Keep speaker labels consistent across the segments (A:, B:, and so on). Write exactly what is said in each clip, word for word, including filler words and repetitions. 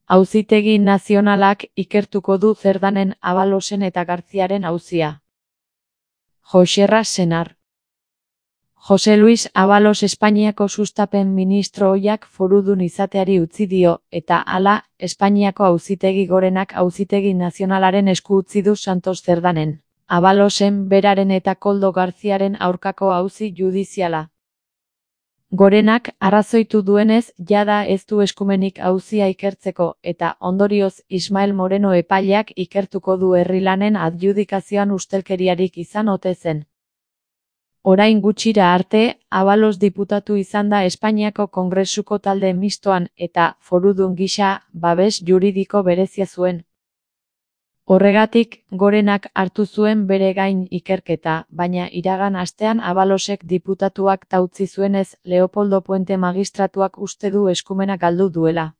A: Auzitegi Nazionalak ikertuko du Cerdanen, Abalosen eta Garziaren auzia. Joxerra Senar. Jose Luis Abalos Espainiako sustapen ministro ohiak forudun izateari utzi dio, eta hala, Espainiako Auzitegi Gorenak Auzitegi Nazionalaren esku utzi du Santos Cerdanen, Abalosen beraren eta Koldo Garziaren aurkako auzi judiziala. Gorenak arrazoitu duenez, jada ez du eskumenik auzia ikertzeko, eta ondorioz Ismael Moreno epaileak ikertuko du herri-lanen adjudikazioan ustelkeriarik izan ote zen. Orain gutxira arte, Abalos diputatu izan da Espainiako Kongresuko talde mistoan, eta forudun gisa, babes juridiko berezia zuen. Horregatik, Gorenak hartu zuen bere gain ikerketa, baina iragan astean Abalosek diputatuak utzi zuenez, Leopoldo Puente magistratuak uste du eskumena galdu duela.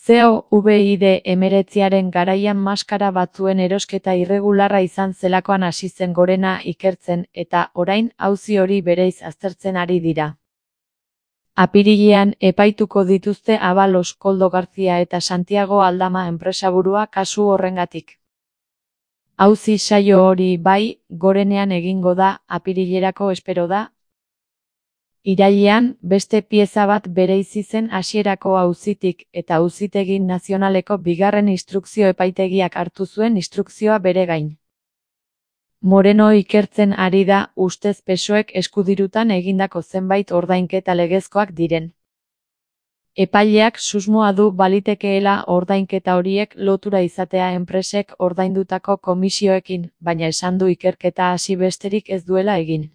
A: Covid hemeretziaren garaian maskara batzuen erosketa irregularra izan zelakoan hasi zen Gorena ikertzen, eta orain auzi hori bereiz aztertzen ari dira. Apirilean epaituko dituzte Abalos, Koldo Garzia eta Santiago Aldama enpresaburua kasu horrengatik. Auzi saio hori bai, Gorenean egingo da, apirilerako espero da. Irailean, beste pieza bat bereizi zen hasierako auzitik, eta Auzitegi Nazionaleko bigarren instrukzio epaitegiak hartu zuen instrukzioa bere gain. Moreno ikertzen ari da, ustez P S O Ek eskudirutan egindako zenbait ordainketa legezkoak diren. Epaileak susmoa du balitekeela ordainketa horiek lotura izatea enpresek ordaindutako komisioekin, baina esan du ikerketa hasi besterik ez duela egin.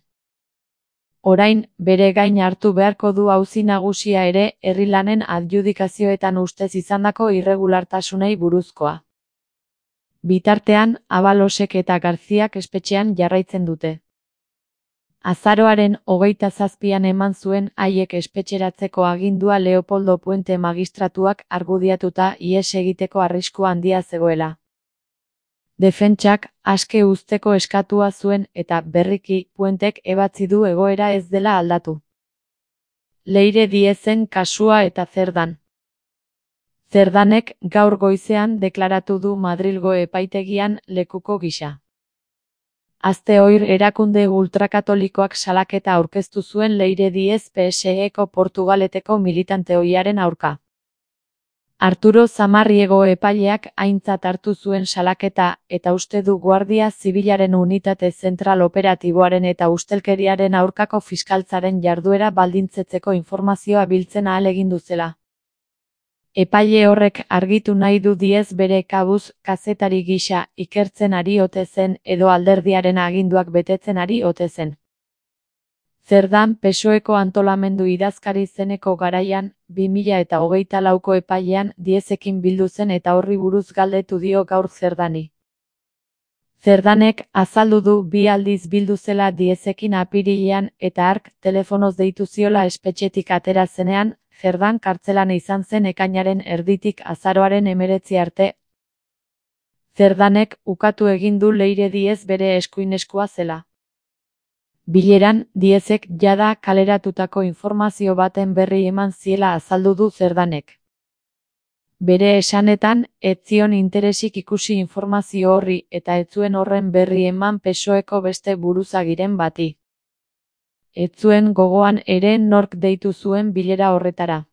A: Orain, bere gain hartu beharko du auzi nagusia ere, herri-lanen adjudikazioetan ustez izandako irregulartasunei buruzkoa. Bitartean, Abalosek eta Garziak espetxean jarraitzen dute. Azaroaren hogeita zazpian eman zuen haiek espetxeratzeko agindua Leopoldo Puente magistratuak argudiatuta ihes egiteko arriskua handia zegoela. Defentsak aske uzteko eskatua zuen eta berriki Puentek ebatzi du egoera ez dela aldatu. Leire Diezen kasua eta Cerdan. Cerdanek gaur goizean deklaratu du Madrilgo epaitegian lekuko gisa. Aste oir erakunde ultrakatolikoak salaketa aurkeztu zuen Leire Diez P S Eko Portugaleteko militante ohiaren aurka. Arturo Zamarriego epaileak aintzat hartu zuen salaketa, eta uste du Guardia Zibilaren unitate zentral operatiboaren eta ustelkeriaren aurkako fiskaltzaren jarduera baldintzetzeko informazioa biltzen ahalegindu zela. Epaile horrek argitu nahi du Diez bere kabuz kazetari gisa ikertzen ari ote zen edo alderdiaren aginduak betetzen ari ote zen. Cerdan P S O Eko antolamendu idazkari zeneko garaian, bi mila eta hogeita lauko epailean Diezekin bildu zen eta horri buruz galdetu dio gaur Cerdani. Cerdanek azaldu du bi aldiz bildu zela Diezekin apirilean eta hark telefonoz deitu ziola espetxetik atera zenean, Cerdan kartzelan izan zen ekainaren erditik azaroaren hemeretzi arte. Cerdanek ukatu egin du Leire Diez bere eskuineskua zela. Bileran, Diezek jada kaleratutako informazio baten berri eman ziela azaldu du Cerdanek. Bere esanetan, ez zion interesik ikusi informazio horri eta ez zuen horren berri eman P S O Eko beste buruzagiren bati. Ez zuen gogoan ere nork deitu zuen bilera horretara.